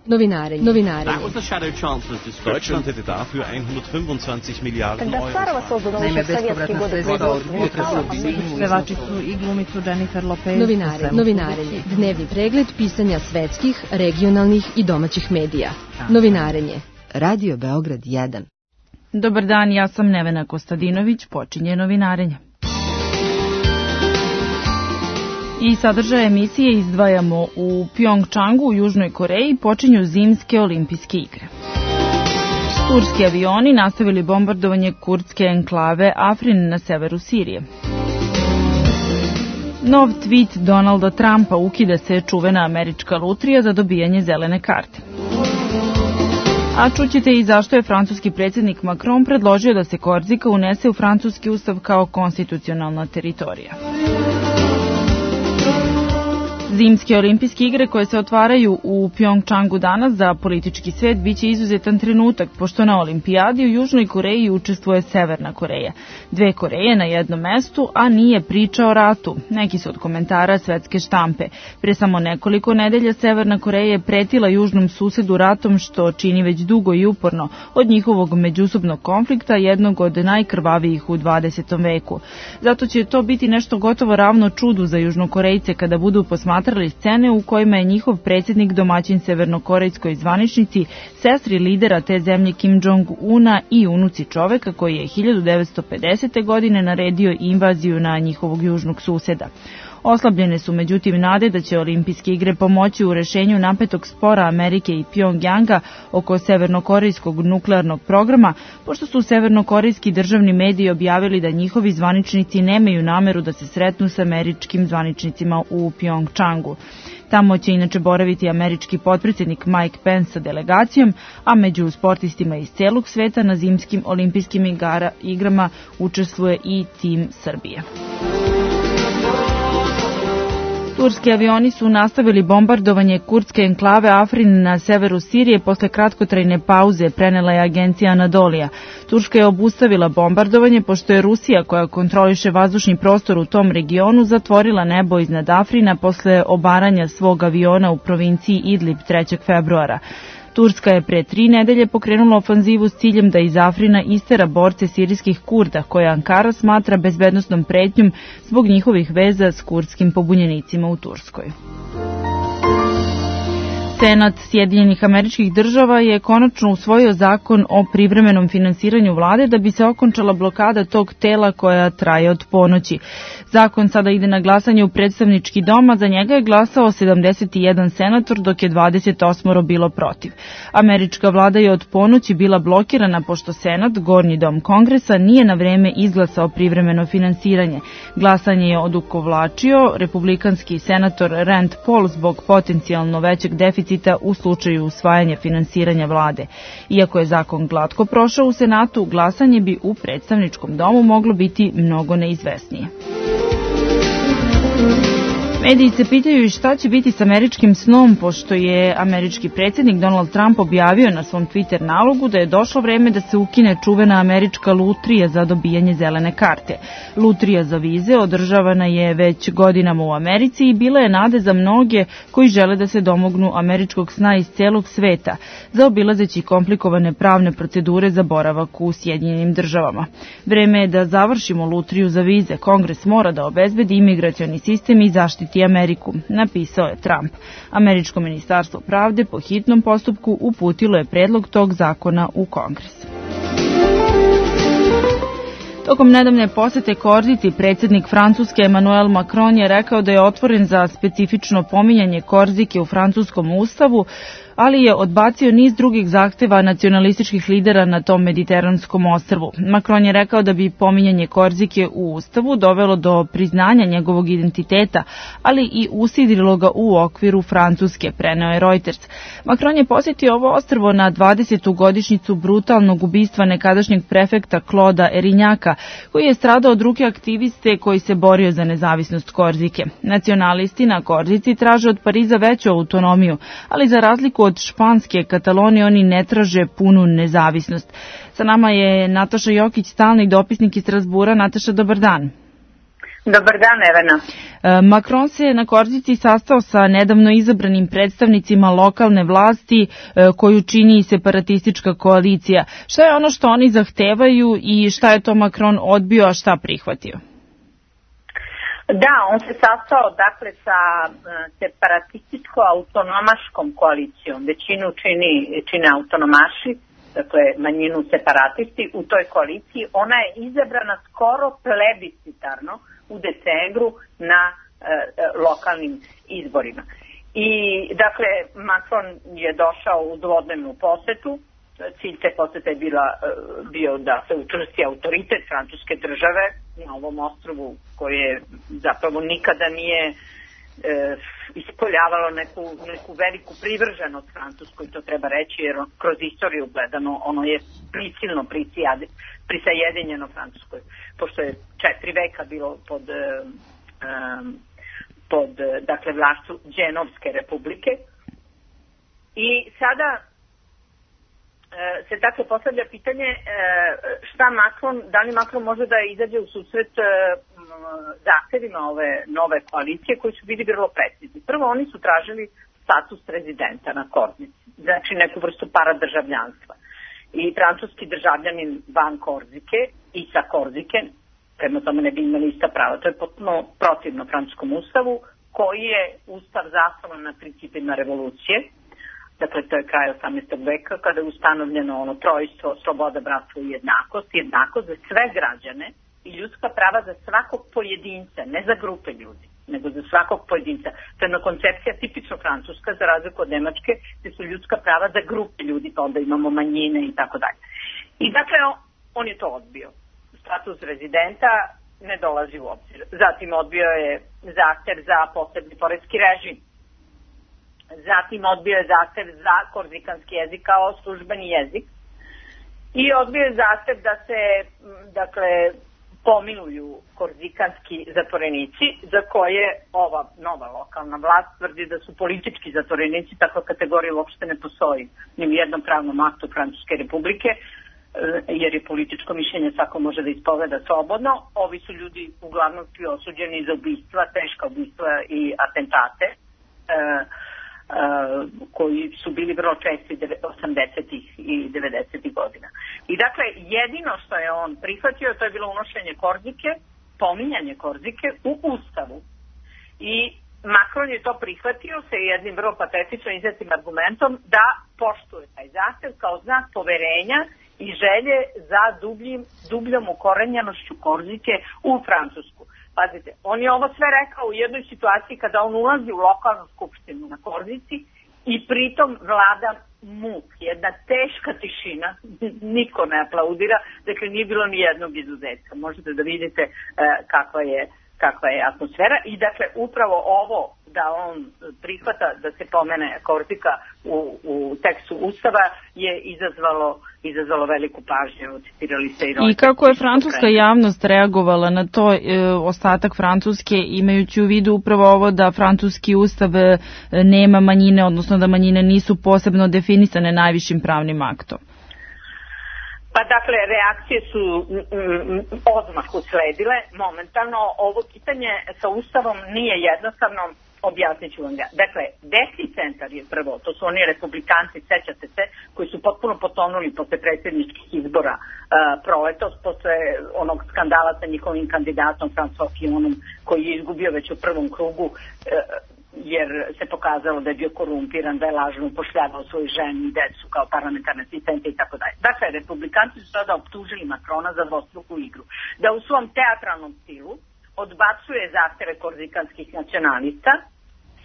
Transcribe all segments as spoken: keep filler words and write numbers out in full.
Novinarenje. Novinarenje. Deutschland hätte dafür hundertfünfundzwanzig Milliarden Euro. Naime, bespovratna sredstva od budžeta za obijenju pevačicu i glumicu Jennifer Lopez. Novinarenje. Novinarenje. Dnevni pregled pisanja svetskih, regionalnih i domaćih medija. Novinarenje. Radio Beograd jedan. Dobar dan, ja sam Nevena Kostadinović, počinje Novinarenje. I sadržaje emisije izdvajamo: u Pjongčangu u Južnoj Koreji počinju zimske olimpijske igre. Turski avioni nastavili bombardovanje kurdske enklave Afrin na severu Sirije. Nov tweet Donalda Trumpa: ukida se čuvena američka lutrija za dobijanje zelene karte. A čućete i zašto je francuski predsjednik Macron predložio da se Korzika unese u francuski ustav kao konstitucionalna teritorija. Zimske olimpijske igre koje se otvaraju u Pjongčangu danas za politički svet biće izuzetan trenutak, pošto na olimpijadi u Južnoj Koreji učestvuje Severna Koreja. Dve Koreje na jednom mestu, a nije priča o ratu. Neki su od komentara svetske štampe. Pre samo nekoliko nedelja Severna Koreja je pretila južnom susedu ratom, što čini već dugo i uporno od njihovog međusobnog konflikta, jednog od najkrvavijih u dvadesetom veku. Zato će to biti nešto gotovo ravno čudu za Južnokorejce kada budu posmatrali scene u kojima je njihov predsjednik domaćin severnokorejskoj zvaničnici, sestri lidera te zemlje Kim Jong-una i unuci čoveka koji je hiljadu devetsto pedesete. godine naredio invaziju na njihovog južnog suseda. Oslabljene su međutim nade da će olimpijske igre pomoći u rešenju napetog spora Amerike i Pjongjanga oko severnokorejskog nuklearnog programa, pošto su severnokorejski državni mediji objavili da njihovi zvaničnici nemaju nameru da se sretnu sa američkim zvaničnicima u Pjongčangu. Tamo će inače boraviti američki potpredsjednik Mike Pence sa delegacijom, a među sportistima iz celog sveta na zimskim olimpijskim igara, igrama učestvuje i tim Srbije. Turski avioni su nastavili bombardovanje kurdske enklave Afrin na severu Sirije posle kratkotrajne pauze, prenela je agencija Anadolija. Turska je obustavila bombardovanje pošto je Rusija, koja kontroliše vazdušni prostor u tom regionu, zatvorila nebo iznad Afrina posle obaranja svog aviona u provinciji Idlib trećeg februara. Turska je pre tri nedelje pokrenula ofanzivu s ciljem da iz Afrina istera borce sirijskih Kurda, koje Ankara smatra bezbednosnom pretnjom zbog njihovih veza s kurdskim pobunjenicima u Turskoj. Senat Sjedinjenih Američkih Država je konačno usvojio zakon o privremenom finansiranju vlade da bi se okončala blokada tog tela koja traje od ponoći. Zakon sada ide na glasanje u predstavnički dom, a za njega je glasao sedamdeset jedan senator, dok je dvadeset osam bilo protiv. Američka vlada je od ponoći bila blokirana pošto Senat, gornji dom Kongresa, nije na vreme izglasao privremeno finansiranje. Glasanje je odugovlačio republikanski senator Rand Paul zbog potencijalno većeg deficita u slučaju usvajanja finansiranja vlade. Iako je zakon glatko prošao u Senatu, glasanje bi u predstavničkom domu moglo biti mnogo neizvesnije. Mediji se pitaju i šta će biti s američkim snom, pošto je američki predsjednik Donald Trump objavio na svom Twitter nalogu da je došlo vreme da se ukine čuvena američka lutrija za dobijanje zelene karte. Lutrija za vize održavana je već godinama u Americi i bila je nade za mnoge koji žele da se domognu američkog sna iz celog sveta, zaobilazeći komplikovane pravne procedure za boravak u Sjedinjenim Državama. Vreme je da završimo lutriju za vize. Kongres mora da obezbedi imigracioni sistem i zaštiti Ameriku, napisao je Trump. Američko ministarstvo pravde po hitnom postupku uputilo je predlog tog zakona u Kongres. Tokom nedavne posete Korziti, predsjednik Francuske Emmanuel Macron je rekao da je otvoren za specifično pominjanje Korzike u francuskom ustavu, ali je odbacio niz drugih zahteva nacionalističkih lidera na tom mediteranskom ostrvu. Macron je rekao da bi pominjanje Korzike u ustavu dovelo do priznanja njegovog identiteta, ali i usidrilo ga u okviru Francuske, preneo je Reuters. Macron je posjetio ovo ostrvo na dvadesetu godišnjicu brutalnog ubistva nekadašnjeg prefekta Clauda Erinjaka, koji je stradao od ruke aktiviste koji se borio za nezavisnost Korzike. Nacionalisti na Korzici traže od Pariza veću autonomiju, ali za razliku od španske Katalonije oni ne traže punu nezavisnost. Sa nama je Nataša Jokić, stalni dopisnik iz Strazbura. Nataša, dobar dan. Dobar dan, Evena. Macron se na Korzici sastao sa nedavno izabranim predstavnicima lokalne vlasti koju čini separatistička koalicija. Šta je ono što oni zahtevaju i šta je to Macron odbio, a šta prihvatio? Da, on se sastao dakle sa separatističko-autonomaškom koalicijom. Većinu čini, čine autonomaši, dakle manjinu separatisti u toj koaliciji. Ona je izabrana skoro plebiscitarno u decembru na e, lokalnim izborima. I dakle Macron je došao u dvodnevnu posetu. Cilj te posete je bila, bio da se učvrsti autoritet francuske države na ovom ostrvu koje zapravo nikada nije e, ispoljavalo neku, neku veliku privrženost Francuskoj, to treba reći, jer kroz istoriju gledano ono je prisilno prisajedinjeno Francuskoj, pošto je četiri veka bilo pod, um, pod dakle, vlašću Dženovske republike. I sada se dakle postavlja pitanje šta Macron, da li Macron može da izađe u susret zahtevima ove nove koalicije koji su bili vrlo precizni. Prvo, oni su tražili status rezidenta na Korzici, znači neku vrstu paradržavljanstva. I francuski državljanin van Korzike i sa Korzike, prema tome ne bi imali ista prava. To je potpuno protivno francuskom ustavu, koji je ustav zasnovan na principima revolucije. Dakle, to je kraj osamnaestog veka, kada je ustanovljeno ono trojstvo, sloboda, bratstvo i jednakost. Jednakost za sve građane i ljudska prava za svakog pojedinca, ne za grupe ljudi, nego za svakog pojedinca. To je jedna koncepcija tipično francuska, za razliku od Nemačke, gde su ljudska prava za grupe ljudi, pa onda imamo manjine i tako dalje. I dakle, on je to odbio. Status rezidenta ne dolazi u obzir. Zatim odbio je zahtev za posebni poreski režim. Zatim odbio je zahtev za korzikanski jezik kao službeni jezik i odbio je zahtev da se, dakle, pomiluju korzikanski zatvorenici za koje ova nova lokalna vlast tvrdi da su politički zatvorenici, takva kategorija uopšte ne postoji ni u jednom pravnom aktu Francuske republike, jer je političko mišljenje svako može da ispoveda slobodno. Ovi su ljudi uglavnom svi osuđeni za ubistva, teška ubistva i atentate, Uh, koji su bili vrlo česti osamdesetih i devedesetih godina. I dakle, jedino što je on prihvatio, to je bilo unošenje Korzike, pominjanje Korzike u ustavu. I Macron je to prihvatio sa jednim vrlo patetično iznetim argumentom da poštuje taj zahtev kao znak poverenja i želje za dubljim, dubljom ukorenjenošću Korzike u Francusku. Pazite, on je ovo sve rekao u jednoj situaciji kada on ulazi u lokalnu skupštinu na Korzici i pritom vlada muk, jedna teška tišina, niko ne aplaudira, dakle nije bilo ni jednog izuzetka. Možete da vidite uh, kakva je, kakva je atmosfera i dakle upravo ovo da on prihvata da se pomene Korzika u, u tekstu ustava je izazvalo, izazvalo veliku pažnju, citirali se i I kako je francuska javnost reagovala na to, e, ostatak Francuske, imajući u vidu upravo ovo da francuski ustav e, nema manjine, odnosno da manjine nisu posebno definisane najvišim pravnim aktom? Pa dakle, reakcije su mm, odmah usledile momentalno. Ovo pitanje sa ustavom nije jednostavno. Objasnit ću vam ga. Dakle, desni centar je prvo, to su oni republikanci, sećate se, koji su potpuno potonuli posle predsjedničkih izbora uh, proletos, posle onog skandala sa njihovim kandidatom François Fillonom, koji je izgubio već u prvom krugu, uh, jer se pokazalo da je bio korumpiran, da je lažno upošljavao svoju ženu i decu kao parlamentarne asistente i tako dalje. Dakle, republikanci su sada optužili Macrona za dvostruku igru. Da u svom teatralnom stilu odbacuje zahteve korzikanskih nacionalista,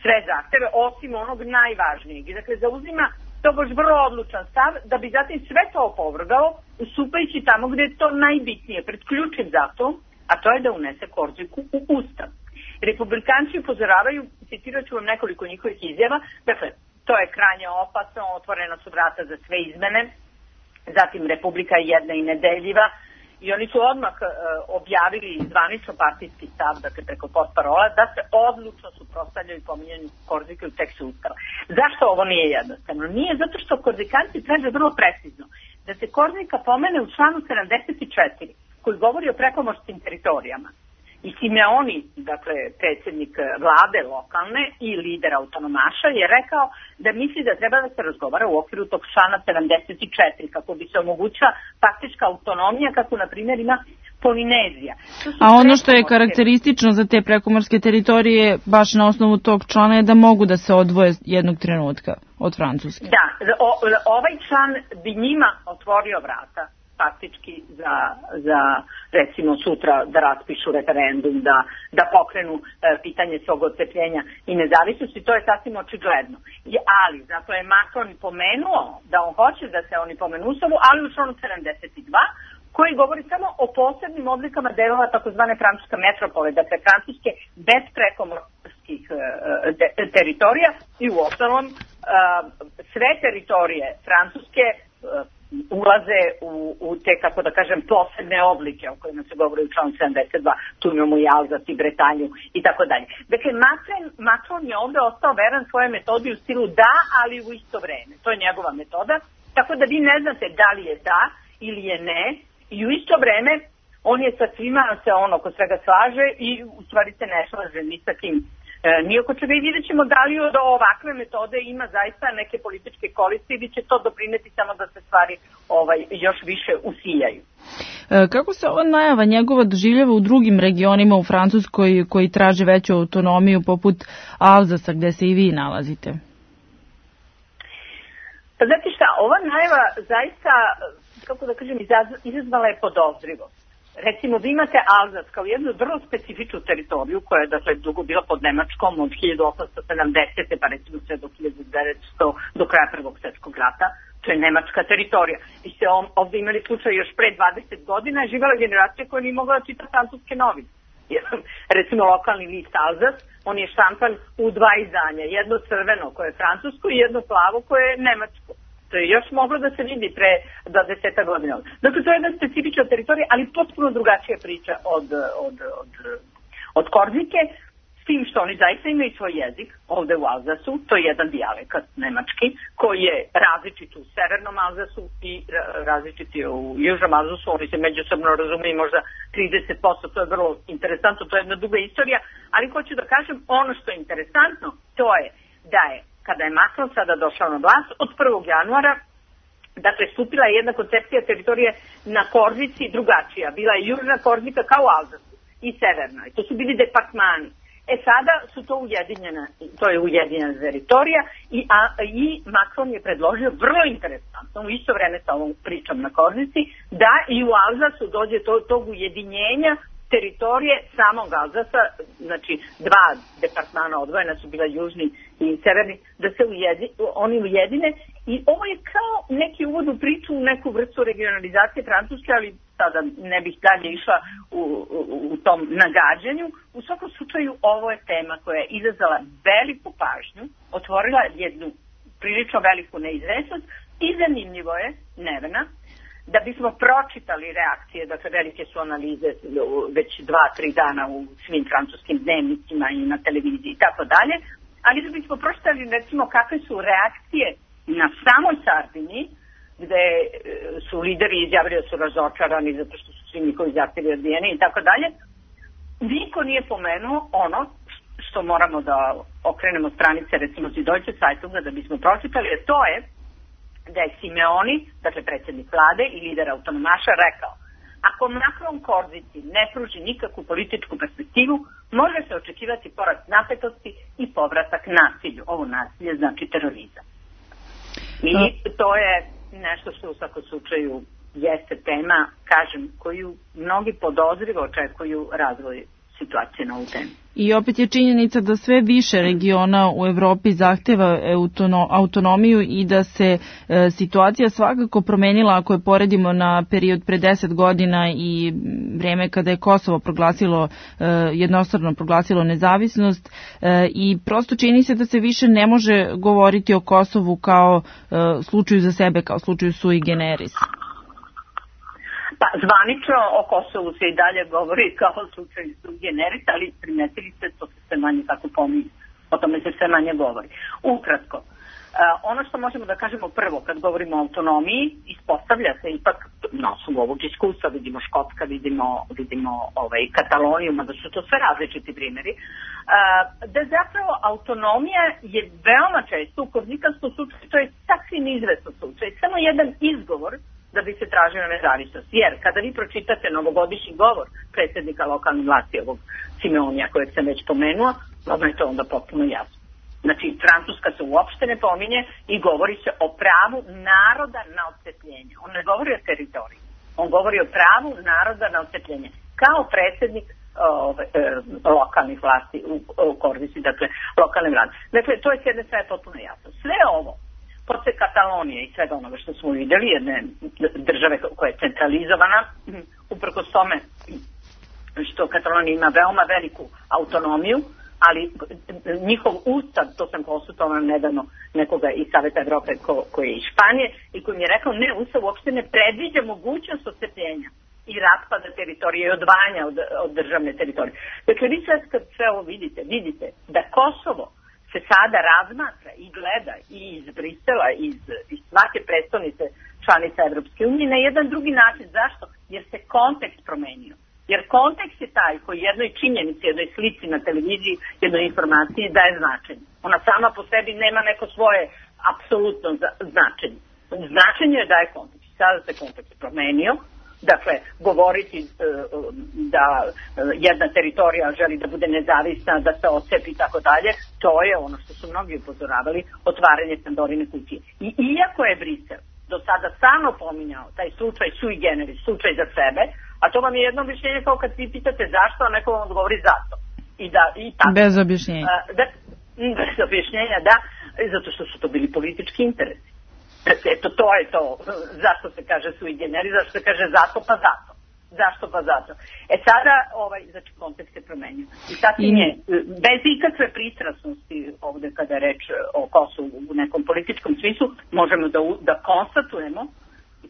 sve zahteve, osim onog najvažnijeg. I dakle, zauzima to baš vrlo odlučan stav, da bi zatim sve to opovrgao, ustupajući tamo gde je to najbitnije, pred ključnim zahtevom, a to je da unese Korziku u ustav. Republikanci upozoravaju, citirat ću vam nekoliko njihovih izjava, dakle, to je krajnje opasno, otvorena su vrata za sve izmene, zatim Republika je jedna i nedeljiva, i oni su odmah uh, objavili zvanično partijski stav, dakle preko portparola, da se odlučno suprotstavljaju pominjanju Korzike u tekstu ustava. Zašto ovo nije jednostavno? Nije zato što korzikanci traže vrlo precizno da se Korzika pomene u članu sedamdeset četiri, koji govori o prekomorskim teritorijama. I Simeoni, dakle predsjednik vlade lokalne i lider autonomaša, je rekao da misli da treba da se razgovara u okviru tog člana sedamdeset četiri kako bi se omogućila faktička autonomija kako na primjer ima Polinezija. A ono što je karakteristično za te prekomorske teritorije baš na osnovu tog člana je da mogu da se odvoje jednog trenutka od Francuske. Da, o, ovaj član bi njima otvorio vrata faktički za, za recimo sutra da raspišu referendum, da, da pokrenu e, pitanje svog odcepljenja i nezavisnosti, to je sasvim očigledno. I, ali, zato je Macron pomenuo da on hoće da se oni pomenu Ustavu, ali u članu sedamdeset dva, koji govori samo o posebnim oblikama delova takozvane francuske metropole, dakle francuske bez prekomorskih e, de, teritorija i u ostalom e, sve teritorije francuske e, ulaze u, u te, kako da kažem, posebne oblike o kojima se govori u članu sedamdeset dva, tu imamo i Alzas i Bretanju i tako dalje. Dakle, Macron, Macron je ovde ostao veran svoje metodi u stilu da, ali u isto vreme. To je njegova metoda, tako da vi ne znate da li je da ili je ne, i u isto vreme on je sa svima se ono ko svega slaže i u stvari se ne slaže ni sa kim. E, nijako čega i vidjet ćemo da li od ovakve metode ima zaista neke političke koristi ili će to doprineti samo da se stvari ovaj, još više usiljaju. E, kako se ova najava njegova doživljava u drugim regionima u Francuskoj koji traže veću autonomiju poput Alzasa gde se i vi nalazite? Pa znate šta, ova najava zaista, kako da kažem, izazvala je podozrivost. Recimo, vi imate Alzas kao jednu vrlo specifičnu teritoriju koja je dakle dugo bila pod Nemačkom od hiljadu osamsto sedamdesete pa recimo sve do hiljadu devetsto do kraja Prvog svjetskog rata. To je nemačka teritorija. I se on, ovdje imali slučaj još pre dvadeset godina živjela generacija koja nije mogla da čita francuske novine. Recimo lokalni list Alzas, on je štampan u dva izdanja. Jedno crveno koje je francusko i jedno plavo koje je nemačko. To je još moglo da se vidi pre dvadeset godina. Dakle, to je jedna specifična teritorija, ali potpuno drugačija priča od, od, od, od Korzike, s tim što oni zaista imaju svoj jezik ovde u Alzasu, to je jedan dijalekat nemački, koji je različit u severnom Alzasu i različit je u južnom Alzasu, oni se međusobno razumiju možda trideset posto, to je vrlo interesantno, to je jedna duga istorija, ali hoću da kažem, ono što je interesantno, to je da je kada je Macron sada došao na vlast, od prvog januara, dakle, stupila je jedna koncepcija teritorije na Korzici drugačija. Bila je južna Korzika kao u Alzasu i severna. I to su bili departmani. E sada su to ujedinjena, to je ujedinjena teritorija i, a, i Macron je predložio vrlo interesantno, u isto vreme sa ovom pričom na Korzici, da i u Alzasu dođe to, tog ujedinjenja teritorije samog Alzasa, znači dva departmana odvojena su bila južni i severni, da se ujedi, oni ujedine i ovo je kao neki uvod u priču u neku vrstu regionalizacije Francuske, ali sada ne bih dalje išla u, u, u tom nagađanju. U svakom slučaju ovo je tema koja je izazvala veliku pažnju, otvorila jednu prilično veliku neizvesnost i zanimljivo je, Nevena, da bismo pročitali reakcije, dakle velike su analize već dva, tri dana u svim francuskim dnevnicima i na televiziji i tako dalje, ali da bismo pročitali recimo kakve su reakcije na samoj Sardiniji, gde su lideri izjavili da su razočarani zato što su svi njihovi zahtjevi odbijeni i tako dalje, niko nije pomenuo ono što moramo da okrenemo stranice recimo iz Deutsche Zeitunga da bismo pročitali, a to je da je Simeoni, dakle predsjednik vlade i lider autonomaša, rekao: ako Macron Korzici ne pruži nikakvu političku perspektivu, može se očekivati porast napetosti i povratak nasilju. Ovo nasilje znači terorizam. I to je nešto što u svakom slučaju jeste tema, kažem, koju mnogi podozrivo očekuju razvoj situacije na ovu temu. I opet je činjenica da sve više regiona u Evropi zahteva autonomiju i da se e, situacija svakako promenila ako je poredimo na period pre deset godina i vreme kada je Kosovo proglasilo, e, jednostrano proglasilo nezavisnost e, i prosto čini se da se više ne može govoriti o Kosovu kao e, slučaju za sebe, kao slučaju sui generis. Pa, zvanično o Kosovu se i dalje govori kao slučaj sui generis, ali primetili ste, to se sve manje kako pominje, o tome se sve manje govori. Ukratko, ono što možemo da kažemo prvo kad govorimo o autonomiji, ispostavlja se ipak na osnovu ovog iskustva, vidimo Škotska, vidimo, vidimo ovaj, Kataloniju, mada su to sve različiti primjeri, da zapravo autonomija je veoma često u korzikanskom slučaju, to je sasvim izvesno slučaj, samo jedan izgovor da bi se tražila nezavisnost. Jer kada vi pročitate novogodišnji govor predsjednika lokalne vlasti, ovog Simeonija kojeg sam već pomenuo, odmah je to onda potpuno jasno. Znači, Francuska se uopšte ne pominje i govori se o pravu naroda na odcepljenje. On ne govori o teritoriji. On govori o pravu naroda na odcepljenje. Kao predsjednik ove, e, lokalnih vlasti u, u Kordisi, dakle, lokalne vlade. Dakle, to je s jedne strane potpuno jasno. Sve ovo, posle Katalonije i svega onoga što smo vidjeli, jedne države koja je centralizovana, uprkos tome što Katalonija ima veoma veliku autonomiju, ali njihov ustav, to sam konsultovala nedavno nekoga iz Saveta Evrope ko, koji je iz Španije i koji mi je rekao ne, ustav uopšte ne predviđa mogućnost odcepljenja i raspada teritorije i odvajanja od, od državne teritorije. Dakle, vi sad kad sve ovo vidite, vidite da Kosovo se sada razmatra i gleda i iz Brisela, iz, iz svake predstavnice članica Evropske unije na jedan drugi način. Zašto? Jer se kontekst promenio. Jer kontekst je taj koji jednoj činjenici, jednoj slici na televiziji, jednoj informaciji daje značenje. Ona sama po sebi nema neko svoje apsolutno značenje. Značenje je daje kontekst. Sada se kontekst promenio. Dakle, govoriti e, da jedna teritorija želi da bude nezavisna, da se odcepi i tako dalje, to je ono što su mnogi upozoravali, otvaranje Pandorine kutije. I iako je Brisel do sada samo pominjao taj slučaj sui generis, slučaj za sebe, a to vam je jedno objašnjenje kao kad vi pitate zašto, a neko vam odgovori zato. I da, i tako. Bez objašnjenja. Da, bez objašnjenja, da, zato što su to bili politički interesi. Eto, to je to. Zašto se kaže sui generis, zašto se kaže zato pa zato. Zašto pa zato. E sada, ovaj, znači, kontekst se promenio. I sasvim je, bez ikakve pristrasnosti ovde kada je reč o Kosovu u nekom političkom smislu, možemo da, da konstatujemo,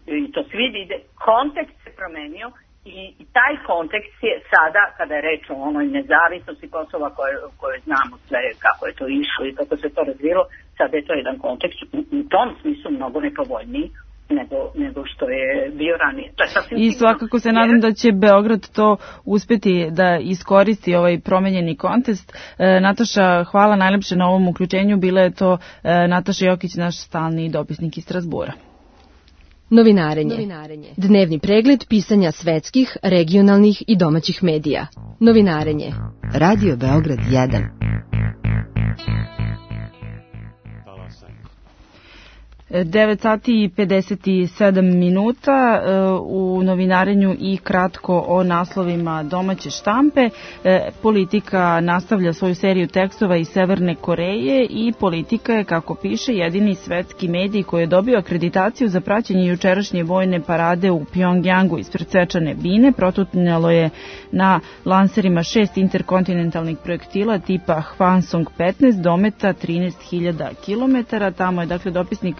i to svi vide, kontekst se promenio i, i taj kontekst je sada, kada je reč o onoj nezavisnosti Kosova koje, koje znamo sve kako je to išlo i kako se to razvilo, sada je to jedan kontekst u, u tom smislu mnogo nepovoljniji nego, nego što je bio ranije. To je I svakako se nadam da će Beograd to uspeti da iskoristi ovaj promenjeni kontekst. E, Nataša, hvala najlepše na ovom uključenju. Bila je to e, Nataša Jokić, naš stalni dopisnik iz Strasbura. Novinarenje. Novinarenje. Dnevni pregled pisanja svetskih, regionalnih i domaćih medija. Novinarenje. Radio Beograd jedan. devet sati i pedeset sedam minuta u novinarenju i kratko o naslovima domaće štampe. Politika nastavlja svoju seriju tekstova iz Severne Koreje i Politika je, kako piše, jedini svetski medij koji je dobio akreditaciju za praćenje jučerašnje vojne parade u Pjongjangu ispred svečane bine. Protutnjalo je na lanserima šest interkontinentalnih projektila tipa Hwasong petnaest dometa trinaest hiljada kilometara. Tamo je dakle dopisnik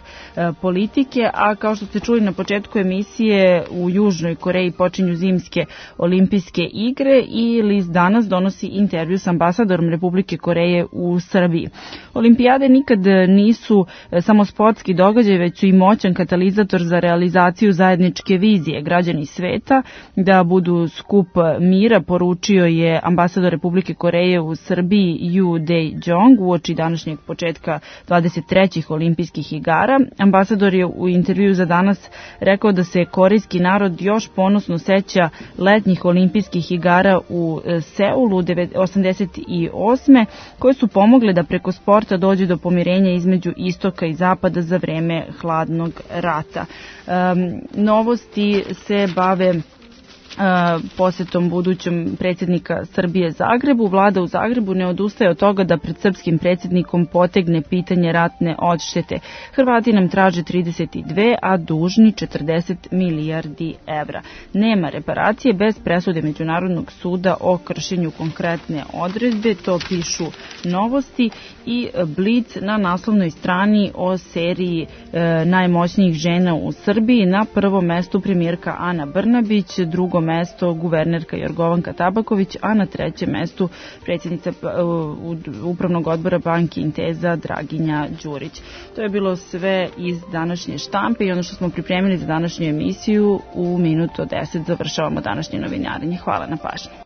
Politike, a kao što ste čuli na početku emisije, u Južnoj Koreji počinju zimske olimpijske igre i list Danas donosi intervju s ambasadorom Republike Koreje u Srbiji. Olimpijade nikad nisu samo sportski događaj, već su i moćan katalizator za realizaciju zajedničke vizije. Građani sveta da budu skup mira, poručio je ambasador Republike Koreje u Srbiji Yu Dae-jong uoči današnjeg početka dvadeset trećih olimpijskih igara. Ambasador je u intervju za Danas rekao da se korejski narod još ponosno seća letnjih olimpijskih igara u Seulu osamdeset osme koje su pomogle da preko sporta dođe do pomirenja između istoka i zapada za vreme hladnog rata. Um, novosti se bave posjetom budućom predsjednika Srbije Zagrebu. Vlada u Zagrebu ne odustaje od toga da pred srpskim predsjednikom potegne pitanje ratne odštete. Hrvati nam traže trideset dve, a dužni četrdeset milijardi evra. Nema reparacije bez presude Međunarodnog suda o kršenju konkretne odredbe, to pišu novosti i Blic na naslovnoj strani o seriji e, najmoćnijih žena u Srbiji. Na prvom mestu premijerka Ana Brnabić, drugom mesto guvernerka Jorgovanka Tabaković, a na trećem mestu predsjednica Upravnog odbora Banke Inteza Draginja Đurić. To je bilo sve iz današnje štampe i ono što smo pripremili za današnju emisiju. U minuto deset završavamo današnje novinarenje. Hvala na pažnji.